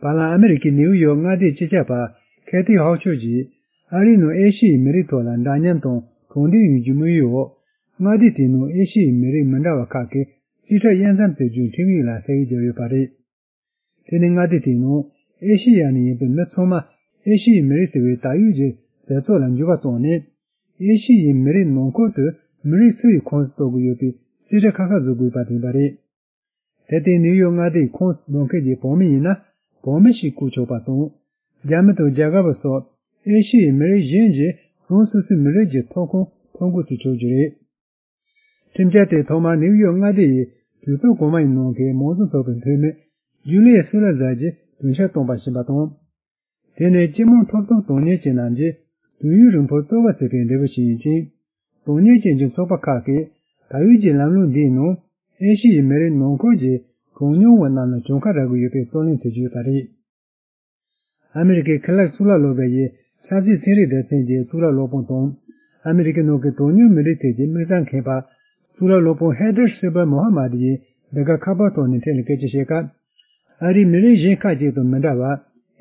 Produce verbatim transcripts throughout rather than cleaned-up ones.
བར་ལམ་ཨ་མི་རི་ཀའི་ནེའུ་ཡོག་མངའ་སྡེའི་སྤྱི་ཁྱབ་པ་ཁེ་ཐི་ཧོག་ཆོས་ཀྱིས་ཨ་རིའི་ནང་ཨེ་ཤི་ཡའི་མི་རིགས་ཐོག་ལ་འདྲ་མཉམ་དང་གྲོས་མཐུན་ཡོང་རྒྱུའི་དམིགས་ཡུལ་འོག་མངའ་སྡེ་དེའི་ནང་ཨེ་ཤི་ཡའི་མི་རིགས་མི་འདྲ་བ་ཁག་གི་རྩིས་ཁྲ་དབྱེ་མཚམས་བཅད་རྒྱུའི་ཁྲིམས་ཡིག་ལ་ས་ཡིག་བརྒྱབ་ཡོད་པ་རེད། དེ་ནི་མངའ་སྡེ་དེའི་ནང་ཨེ་ཤི་ཡ་ནས་ཡིན་པའི་མི་ཚང་མ་ཨེ་ཤི་ཡའི་མི་རིགས་ཟེར་བའི་ད་ཡོད་ཀྱི་ཟེར་ཚོགས་ལ་འགྱུར་བ་བཏང་ནས། ཨེ་ཤི་ཡའི་མི་རིགས་ནང་ཁུལ་དུ་མི་རིགས་སུ་ཡི་ཁོངས་སུ་གཏོགས་ཀྱི་ཡོད་པའི་རྩིས་ཁྲ་ཁ་ཁ་བཟོ་དགོས་པ་དེ་ཡིན་པ་རེད། དེར་བརྟེན་ནིའུ་ཡོག་མངའ་སྡེའི་ཁོངས་གཏོགས་མཁན་གྱི་བོད་མི་ཡིན་ན་བོད་མི་ཞིག་བཀོད་ཆོག་པ་དང་། རྒྱ་མི་དང་རྒྱ་གར་བ་སོགས་ཨེ་ཤི་ཡའི་མི་རིགས་གཞན་གྱིས་རང་སོ་སོའི་མི་རིགས་ཀྱི་ཐོབ་ཁུངས་ཐོབ་འགོ་ཚུགས་ཆོག་རྒྱུ་རེད། ཁྲིམས་འཆར་དེ་ཐོག་མར་ནིའུ་ཡོག་མངའ་སྡེ་ཡི་གྲོས་ཚོགས་གོང་མ་ཡི་ནང་གི་མང་གཙོ་ཚོགས་པའི་འཐུས་མི་ཇུ་ལི་ཡ་སུ་ལ་ཛར་གྱིས་གྲོས་འཆར་བཏོན་པ་ཞིག་ཡིན་པ་དང་། དེ་ནི་སྤྱི་དམངས་ཐོབ་ཐང་དོན་གཉེར་ཅན་རྣམས་ཀྱིས་དུས་ཡུན་རིང་པོར་རྩོལ་བ་བྱས་པའི་འབྲས་བུ་ཞིག་ཡིན་ཅིང་། དོན་གཉེར་ཅན་གྱི་ཚོགས་པ་ཁག་གིས་ད་ཡོད་ཀྱི་ལམ་ལུགས་འདིའི་ནང་ཨེ་ཤི་ཡའི་མི་རིགས་ནང་ཁུལ་གྱི་གྲངས་ཉུང་བ་རྣམས་ལ་གྱོང་ཁ་རག་གི་ཡོད་པའི་རྩོད་གླེང་བྱེད་ཀྱི་ཡོད་པ་རེད། ཨ་མི་རི་ཀའི་ཁེ་ལག་གཙུག་ལག་སློབ་གྲྭ་ཡི་ཆབ་སྲིད་ཚན་རིག་སྡེ་ཚན་གྱི་གཙུག་ལག་སློབ་དཔོན་དང་། ཨ་མི་རི་ཀའི་ནང་གི་གྲངས་ཉུང་མི་རིགས་ཐད་ཀྱི་དམིགས་བསལ་མཁས་པ་གཙུག་ལག་སློབ་དཔོན་ཧེ་དར་ཤི་བར་མོ་ཧ་མ་ཏི་ཡིས་འདི་ག་ཁ་པར་ཐོག་ནས་ཕྲན་ལ་སྐད་ཆ་བཤད་སྐབས། ཨ་རིའི་མི་རིགས་གཞན་ཁག་ཅིག་དང་མི་འདྲ་བར་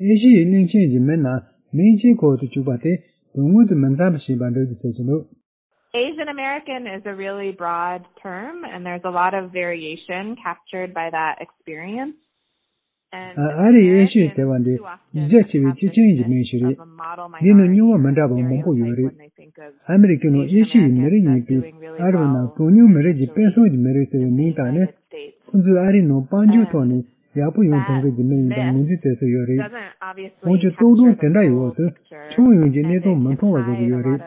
ཨེ་ཤི་ཡའི་གླིང་ཆེན་གྱི་མི་རྣམས་མིང་གཅིག་འཁོར་དུ་བཅུག་པ་དེ་དོན་དངོས་དང་མི་འཚམ་པ་ཞིག་ཡིན་པ་འགྲེལ་བརྗོད་བྱེད་ཀྱི་འདུག། Asian American is a really broad term, and there's a lot of variation captured by that experience. And ཨ་རིའི་ཨེ་ཤི་ཡ་ཟེར་བ་འདི་གཞི་རྒྱ་ཆེ་བའི་སྤྱི་ཆིངས་ཀྱི་མིང་ཞིག་རེད། འདི་ནི་མྱོང་བ་མི་འདྲ་བ་མང་པོ་ཡོད་རེད། ཨ་མི་རི་ཀའི་ནང་ཨེ་ཤི་ཡའི་མི་རིགས་ཡིན་པའི་ཨ་རི་བ་རྣམས་གྲངས་ཉུང་མི་རིགས་ཀྱི་དཔེ་མཚོན་གྱི་མི་རིགས་ཟེར་བའི་མིང་བཏགས་ནས། ཁོ་ཚོས་ཨ་རིའི་ནང་དཔལ་འབྱོར་ཐོག་ནས་ཡག་པོ་ཡོང་ཐུབ་མཁན་གྱི་མི་ཡིན་པར་ངོས་འཛིན་བྱེད་སྲོལ་ཡོད་རེད། འོན་ཀྱང་རྟོག་སྒྲུང་དེ་འདྲ་ཡི་འོག་ཏུ་ཁྱོན་ཡོངས་ཀྱི་གནས་སྟངས་མི་མཐོང་བ་བཟོ་གི་ཡོད་རེད།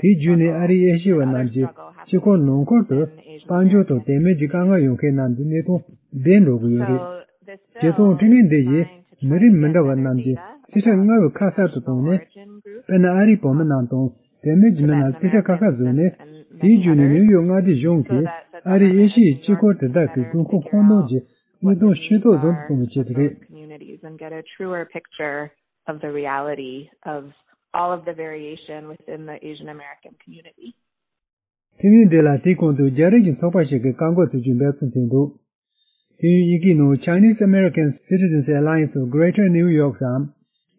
དེའི་བརྒྱུད་ནས་ཨ་རིའི་ཨེ་ཤི་ཡ་བ་རྣམས་ཀྱི་སྤྱི་ཁོག་ནང་ཁུལ་དུ་དཔལ་འབྱོར་དང་དད་མོས་ཀྱི་དཀའ་ངལ་ཡོང་མཁན་རྣམས་ཀྱི་གནས་སྟངས་བདེ་འགྲོ་གི་ཡོད་རེད། བྱེད་སྟངས་འཕྲི་སྣོན་འདི་ཡིས་མི་རིགས་མི་འདྲ་བ་རྣམས་ཀྱི་རྩིས་ཁྲ་སྔར་བས་ཁ་གསལ་དུ་བཏང་ནས། དཔེར་ན་ཨ་རིའི་བོད་མི་རྣམས་དང་དད་མོས་ཀྱི་མི་རྣམས་རྩིས་ཁྲ་ཁ་ཁ་བཟོས་ནས། དེའི་བརྒྱུད་ནས་ནིའུ་ཡོག་མངའ་སྡེ་གཞུང་གིས་ཨ་རིའི་ཨེ་ཤི་ཡའི་སྤྱི་ཁོག་དེ་དག་གི་དགོས་མཁོ་ཁོངས་གཏོགས་ཀྱི་དངོས་དོན་ཤེས་རྟོགས་ཟབ་ཏུ་གཏོང་བའི་ཆེད་དུ་རེད། Communities and get a truer picture of the reality of all of the variation within the Asian American community. ཁྲིམས་ཡིག་འདི་ལ་དེའི་གོང་དུ་རྒྱ་རིགས་ཀྱི་ཚོགས་པ་ཞིག་གིས་བཀག་འགོག་བྱེད་རྒྱུའི་འབད་བརྩོན་བྱས་འདུག། དེ་ཡང་ཡི་གེའི་ནང་Chinese American Citizens Alliance of Greater New York སམ།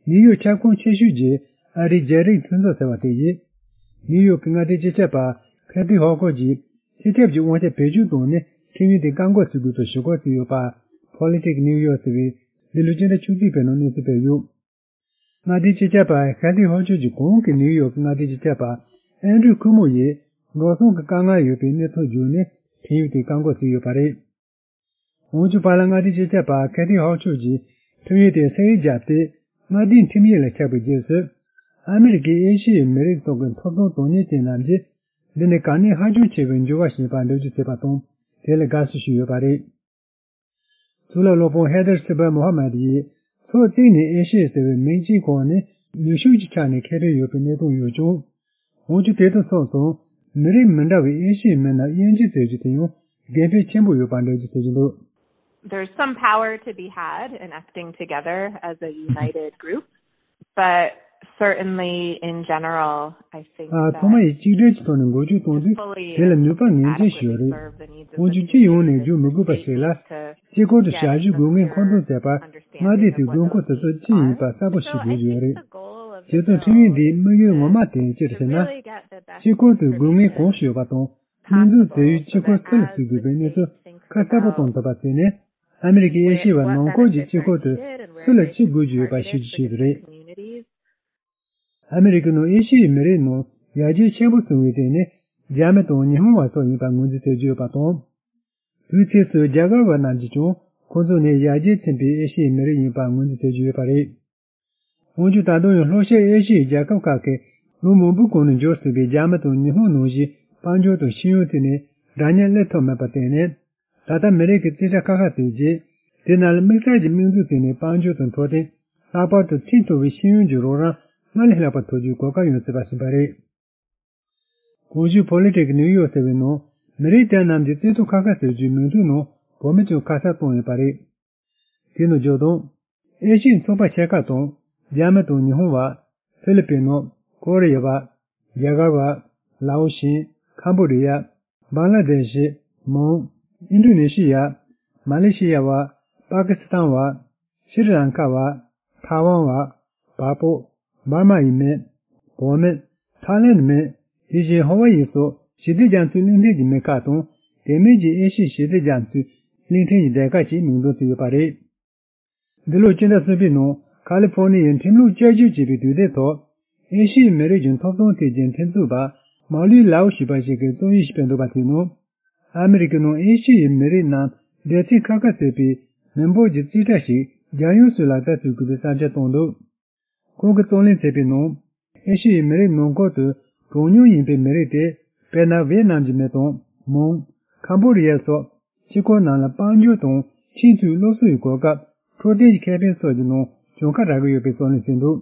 ནིའུ་ཡོག་ཁྱབ་ཁོངས་ཆེ་ཤོས་ཀྱི་ཨ་རིའི་རྒྱ་རིགས་མཐུན་ཚོགས་ཟེར་བ་དེ་ཡིས། ནིའུ་ཡོག་གི་མངའ་སྡེའི་སྤྱི་ཁྱབ་པ་ཁེ་ཐི་ཧོ་ཁོ་གྱིས་སྤྱི་ཁྱབ་ཀྱི་དབང་ཆ་བེད་སྤྱོད་བཏང་ནས་ཁྲིམས་ཡིག་དེ་བཀག་འགོག་བྱེད་དགོས་པའི་ཞུ་སྐུལ་བྱས་ཡོད་པ། Politics New York ཟེར་བས་འདི་ལོའི་སྤྱི་ཟླ་བཅུ་གཅིག་པའི་ནང་གནས་ཚུལ་སྤེལ་ཡོད། མངའ་སྡེའི་སྤྱི་ཁྱབ་པ་ཁེ་ཐི་ཧོ་ཁོ་གྱིས་གོང་གི་ནིའུ་ཡོག་གི་མངའ་སྡེའི་སྤྱི་ཁྱབ་པ་ཨན་ཌྲུ་ཁུ་མོ་ཡིས་འགྲོ་སོང་གི་དཀའ་ངལ་ཡོད་པའི་གནས་ཚུལ་བརྗོད་ནས་ཁྲིམས་ཡིག་དེ་བཀག་འགོག་བྱས་ཡོད་པ་རེད། འོན་ཀྱང་བར་ལམ་མངའ་སྡེའི་སྤྱི་ཁྱབ་པ་ཁེ་ཐི་ཧོག་ཆོས་ཀྱིས་ཁྲིམས་ཡིག་དེ་ས་ཡིག་བརྒྱབ་སྟེ། མངའ་སྡེའི་ཁྲིམས་ཡིག་ལ་ཆགས་པའི་རྗེས་སུ། ཨ་མི་རི་ཀའི་ཨེ་ཤི་ཡའི་མི་རིགས་ཐོག་གི་ཐོབ་ཐང་དོན་གཉེར་ཅན་རྣམས་ཀྱིས། འདི་ནི་གལ་གནད་ཧ་ཅང་ཆེ་བའི་འགྱུར་བ་ཞིག་ཡིན་པར་འགྲེལ་བརྗོད་བྱས་པ་དང་། དེ་ལ་དགའ་བསུ་ཞུས་ཡོད་པ་རེད། གཙུག་ལག་སློབ་དཔོན་ཧེ་དར་སི་བར་མོ་ཧ་མད་ཡིས། ཕྱོགས་གཅིག་ནས་ཨེ་ཤི་ཡ་ཟེར་བའི་མིང་གཅིག་གོང་ནས་ནུས་ཤུགས་ཀྱི་ཆ་ནས་ཁེ་ཕན་ཡོད་པའི་གནས་སྟངས་ཡོད་ཀྱང་། འོན་ཀྱང་དེ་དང་སོ་སོར་མི་རིགས་མི་འདྲ་བའི་ཨེ་ཤི་ཡའི་མི་རྣམས་དབྱེ་འབྱེད་བྱེད་རྒྱུ་དེ་ཡང་དགེ་ཕན་ཆེན་པོ་ཡོད་པར་འགྲེལ་བརྗོད་བྱེད་ཀྱི་འདུག། There's some power to be had in acting together as a united group, but certainly in general, I think ཨ། ཐོག་མ་ཡི་གཅིག་སྒྲིལ་གྱི་ཐོག་ནས་འགུལ་སྐྱོད་གཏོང་དུས་དེ་ལ་ནུས་པ་ངེས་ཅན་ཞིག་ཡོད་རེད། འོན་ཀྱང་སྤྱི་ཡོངས་ནས་བརྗོད་མི་དགོས་པ་ཞིག་ལ། སྤྱི་ཁོག་ཏུ་ཞབས་ཞུའི་དགོས་ངེས་མཁོ་འདོན་བྱེད་པར་མངའ་སྡེ་དེའི་དགོས་མཁོ་དེ་ཚོ་ཅི་ཡིན་པ་གསལ་པོ་ཞིག་དགོས་ཀྱི་ཡོད་རེད། བྱས་ཙང་ཁྲིམས་ཡིག་འདིའི་དམིགས་ཡུལ་ངོ་མ་དེ་ཅི་རེད་ཟེར་ན། སྤྱི་ཁོག་ཏུ་དགོས་ངེས་གང་ཞིག་ཡོད་པ་དང་། དམིགས་འཛུགས་དེ་ཡུལ་སྤྱི་ཁོག་སུ་ལ་བརྩི་དགོས་པའི་གནས་ཚུལ་ཁ་གསལ་པོ་གཏོང་ཐུབ་པ་བྱས་ནས། ཨ་མི་རི་ཀའི་ཨེ་ཤི་ཡ་བ་ནང་ཁུལ་གྱི་སྤྱི་ཁོག་ཏུ་སུ་ལ་ཅི་དགོས་ཀྱི་ཡོད་པ་ཤེས་རྒྱུ་ཞིག་རེད། ཨ་མི་རི་ཀའི་ནང་ཨེ་ཤི་ཡའི་མི་རིགས་ནང་ཡར་རྒྱས་ཆེན་པོ་སོང་བའི་སྟེང་ནས་རྒྱ་མི་དང་ཉི་ཧོང་བ་སོགས་ཡིན་པར་ངོས་འཛིན་བྱེད་ཀྱི་ཡོད་པ་དང་། དུས་ཚོད་སུ་རྒྱ་གར་བ་རྣམས་ཀྱིས་ཀྱང་ཁོ་ཚོ་ནི་ཡར་རྒྱས་ཕྱིན་པའི་ཨེ་ཤི་ཡའི་མི་རིགས་ཡིན་པར་ངོས་འཛིན་བྱེད་ཀྱི་ཡོད་པ་རེད། འོན་ཀྱང་ད་དུང་ཡང་ལྷོ་ཤར་ཨེ་ཤི་ཡའི་རྒྱལ་ཁབ་ཁག་གིས་ལོ་མང་པོའི་གོང་ནས་འབྱོར་ཟིན་པའི་རྒྱ་མི་དང་ཉི་ཧོང་ནང་བཞིན་དཔལ་འབྱོར་དང་ཤེས་ཡོན་ཐད་ནས་འདྲ་མཉམ་སླེབས་ཐུབ་མེད་པར་བརྟེན་ནས། ད་ལྟ་མི་རིགས་ཀྱི་རྩིས་ཁྲ་ཁ་ཁ་བྱས་རྗེས། དེ་རྣམས་ལ་དམིགས་བསལ་གྱི་དམིགས་འཛུགས་བྱས་ནས་དཔལ་འབྱོར་དང་འཕྲོད་བསྟེན། ལྷག་པར་དུ་ཚད་མཐོ་བའི་ཤེས་ཡོན་གྱི་རོགས་རམ་སྔར་ལས་ལྷག་པ་ཐོབ་རྒྱུའི་གོ་སྐབས་ཡོང་སྲིད་པ་ཞིག་ཡིན་པ་རེད། གོང་ཞུས་Politics New York ཟེར་བའི་ནང་མི་རིགས་དེ་རྣམས་ཀྱི་རྩིས་ཐོ་ཁ་ཁ་བཟོ་རྒྱུའི་མིང་ཐོའི་ནང་བོད་མི་ཀྱང་ཁ་གསལ་བཏང་ཡོད་པ་རེད། དེ་ནང་བརྗོད་དོན། ཨེ་ཤི་ཡའི་ཚོགས་པ་ཆེ་ཁག་དང་རྒྱ་མི་དང་ཉི་ཧོང་བ། ཧྥི་ལི་པིན་ནོ། ཀོ་རི་ཡ་བ། རྒྱ་གར་བ། ལའོ་ཤིན། ཁམ་བོ་ཌི་ཡ། བང་ལ་དེ་ཤི། མོང་། ཨིན་ཌོ་ནེ་ཤི་ཡ། མ་ལེ་ཤི་ཡ་བ། པ་ཀི་སི་ཐན་བ། ཤྲི་ལང་ཀ་བ། ཐའེ་ཝན་བ། བལ་པོ། འབར་མ་ཡི་མི། བོད་མི། ཐའི་ལེན་མི། དེ་བཞིན་ཧ་ཝ་ཡི་སོགས་ཞི་བདེ་རྒྱ་མཚོའི་གླིང་ཕྲན་གྱི་མི་ཁག་དང་། དེ་མིན་གྱི་ཨེ་ཤི་ཡའི་ཞི་བདེ་རྒྱ་མཚོའི་གླིང་ཕྲན་གྱི་སྡེ་ཁག་ཅིག་མིང་འདོན་བྱས་ཡོད་པ་རེད། འདི་ལོའི་སྤྱི་ཟླ་གསུམ་པའི་ནང་ཁ་ལི་ཧྥོ་ནི་ཡའི་ཁྲིམས་ལུགས་བསྐྱར་བཅོས་བྱས་པའི་དུས་དེབ་ཐོག་ཨེ་ཤི་ཡའི་མི་རིགས་ཀྱི་ཐོབ་ཐང་ཐད་ཀྱི་ཁྲིམས་རྩོད་པ་མའོ་ལི་ལའོ་ཞེས་པ་ཞིག་གིས་རྩོམ་ཡིག་ཞིག་སྤེལ་འདུག་པ་དེའི་ནང་། ཨ་མི་རི་ཀའི་ནང་ཨེ་ཤི་ཡའི་མི་རིགས་རྣམས་སྡེ་ཚན་ཁ་ཁ་བརྩེགས་པའི་མི་འབོར་གྱི་རྩིས་ཁྲ་ཞིག་རྒྱལ་ཡོངས་སུ་ལག་བསྟར་བྱེད་དགོས་པའི་བསམ་འཆར་བཏོན་འདུག་ཁོང་གིས་རྩོད་ལེན་བྱས་པའི་ནང་། ཨེ་ཤི་ཡའི་མི་རིགས་ནང་ཁུལ་དུ་གྲངས་ཉུང་ཡིན་པའི་མི་རིགས་ཏེ། དཔེར་ན། ཝེ་ནམ་གྱི་མི་དང་། མོན། ཁམ་བྷོ་ཌི་ཡ་སོགས་ཕྱི་ཁུལ་རྣམས་ལ་དཔལ་འབྱོར་དང་ཆེས་མཐོའི་སློབ་གསོ་ཡི་གོ་སྐབས། འཕྲོད་བསྟེན་གྱི་ཁེ་ཕན་སོགས་ཀྱི་ནང་གྱོང་ཁ་རག་གི་ཡོད་པའི་རྩོད་ལེན་བྱས་འདུག